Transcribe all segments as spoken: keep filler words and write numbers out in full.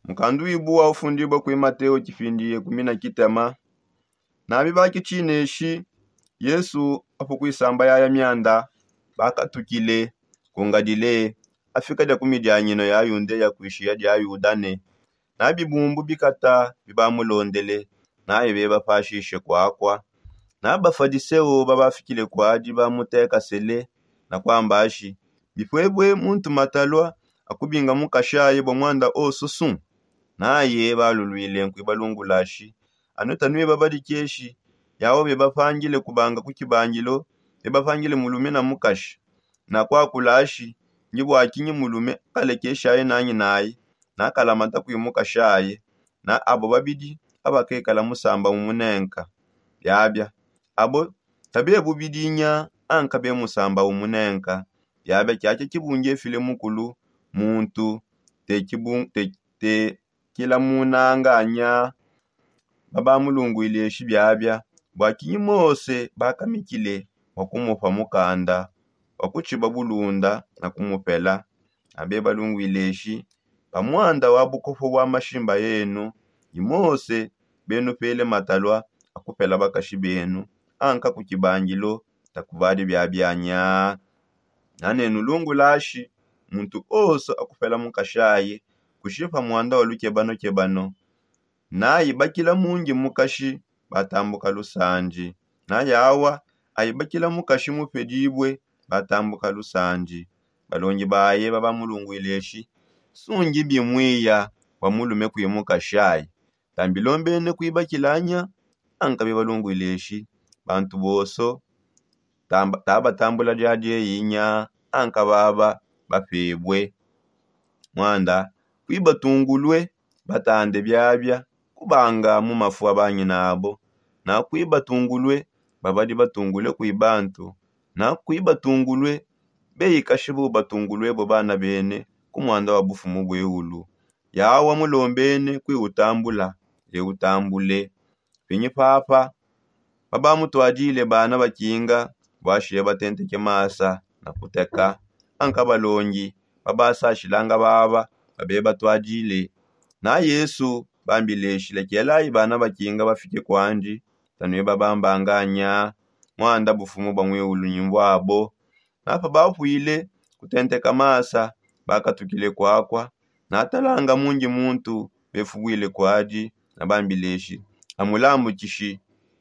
Mukandu wibu wa ufundibua kui mateo tshipindi ye kumi na kitema. Nabi bakitsineshi yesu apu kuisamba yaya mianda, bakatukile kungadile afika dia ku midianyino ya yundeya kuishiya dia yudane. Na bibumbu bikata bibamulondele, naye bebapashishe kuakua. Na bafadiseo babafikile kuadi bamutekasele na kuambashi, bipuebue muntu matalua akubinga mukashaye bua muanda osusu. Naye baluluile nkuibalungulashi, anue tanueba badikeshi. Yawa bebapangile kubanga ku kibangilo, bebapangile mulume na mukashi na kuakulashi, ndi bua kinyi mulume kalekeshaye nanyi naye na kalamata kui mukashaye? Na abo babidi abakekala musamba umunenka. Biabia abo tabe bubidinya anka be musamba umunenka. Biabia kiakia kibungi efile mukulu muntu te kibun- te- te kilamunanganya. Babamulunguileshi biabia bua kinyi mose bakamikile bua kumupa mukanda wa kutshiba bulunda na kumupela? Abe balunguileshi pa muanda wa bukopo bua mashimba enu, ni mose benupele matalua akupela bakashi benu anka ku kibangilo? Takubadi biabianya. Nanenu lungulashi muntu onso akupela mukashaye kushipa muanda wa lukebanokebano. Naibakila mundi mukashi batambuka lusandi. Nayawa aibakila mukashi mupedibue batambuka lusandi. Balongi baye babamulunguileshi, sungi bimuiya bua mulume kui mukashaye. Tambilombene kuibakilanya anka bibalunguileshi bantu bonso tabatambula diadieyi nya anka baba bapebue. Muanda kuibatungulue batande biabia kubanga mu mafu a banyina abo. Na kuibatungulue babadi batungule kui bantu. Na kuibatungulue beikashi bubatunguluebo bana bene ku muanda wa bufumu bueulu. Yawa mulombene kui utambula, eutambule. Pinyi papa babamutuadile bana bakinga buashiya batenteke masa na kuteka anka balongi babasashilanga baba babe batuadile. Na yesu bambileshi lekelayi bana bakinga bafike kuandi. Tanueba bambanganya muanda bufumu bua muiulu nyimbuabo. Na pabapuile kutenteka masa bakatukile kuakua. Na talanga mundi muntu befubuile kuadi na bambileshi, amulambukishi,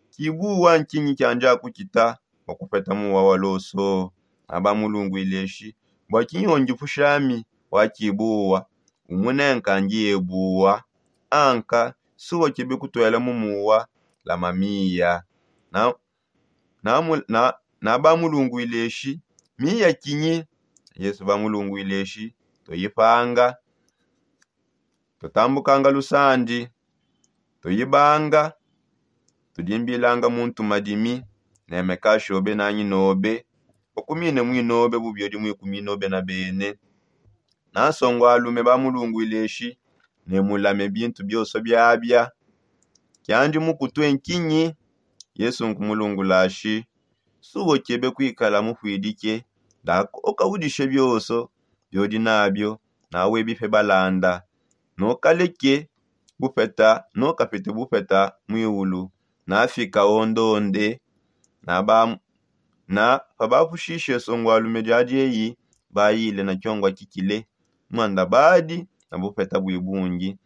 kibuwa nkinyi kiandi akukita bua kupeta muwa wa loso? Na bamulunguileshi, bua kinyi ondipushami wa kibuwa? Umunenka ndiye buwa anka suwa kebe kutuela mu muwa lama miya. Na na bamulunguileshi, miya kinyi? Yesu bamulunguileshi, tuyipanga, tutambukanga lusandi, tuyibanga, tudimbilanga muntu madimi, nemekashobe nanyi nobe, ukumine mwinobe bubiodi mwikuminobe na bene. Na nsongo alume bamulunguileshi, ne mulame bintu bionso biabia. Kiandi mukutue nkinyi? Yesu nkumulungulashi, subo kebe kuikala mupuidike ndaka ukaudishe bionso biodi nabio, nawe bipe balanda. Nokaleke bupeta nokapete bupeta muiulu. Nafika ondonde. Na pabapushishe nsongo alume diadi eyi, bayile na kiongua kikile muanda badi na bupeta bui bungi.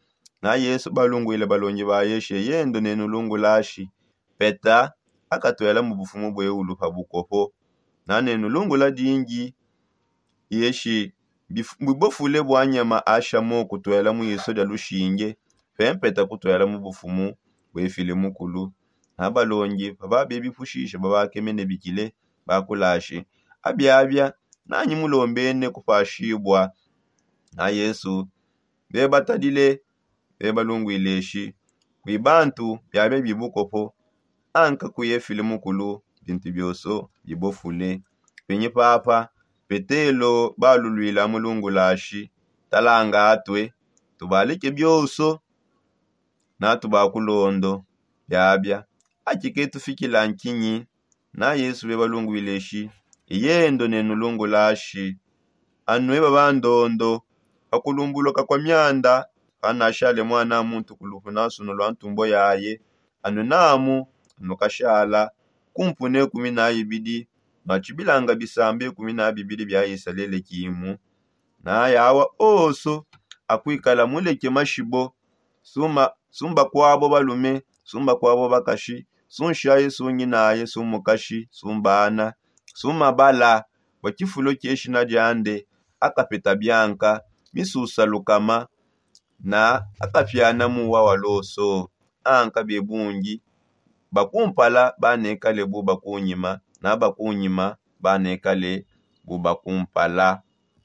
Na yesu balunguile balongi baye she yendo nenulungulashi, peta akatuela mu bufumu bueulu pa bukopo. Na nenulungula dingi yeshi bibofule bua nyama ashamo kutuela mu iso dia lushinge, pempeta kutuela mu bufumu buefile mukulu. Na balongi pababebipushishe babakeme ne bikile bakulashi, abiabia nanyi mulombene kupashibua? Na yesu bebatadile bebalunguileshi, kui bantu biabia bibukopo anka kuye file mukulu bintu bionso bibofule. Penyi papa petelo baluluila mulungulashi, talanga atue tubaleke bionso na tubakulondo. Biabia akike tufikila nkinyi? Na yesu bebalunguileshi, iyendo nenulungulashi, anue babandondo pakulumbuluka kua mianda Kanashale mwana muntu kulupu nansunu lwa ntumbo yaye. Anu namu anu kashala kumpu ne kumi na ibidi, matshibilanga bisambe kumi na bibidi bia isalele kimu. Na yawa oso akwikala muleke mashibo, sumba kwabo balume, sumba kwabo bakashi, sunshaye sunyinaye sumukashi sumbana, sumabala bua tshifulo tshie shina diande. Akapeta bianka misusa lukama na akapiana muwa wa loso. Anka bebungi bakumpala banekale bu bakunyima, na bakunyima banekale bu bakumpala.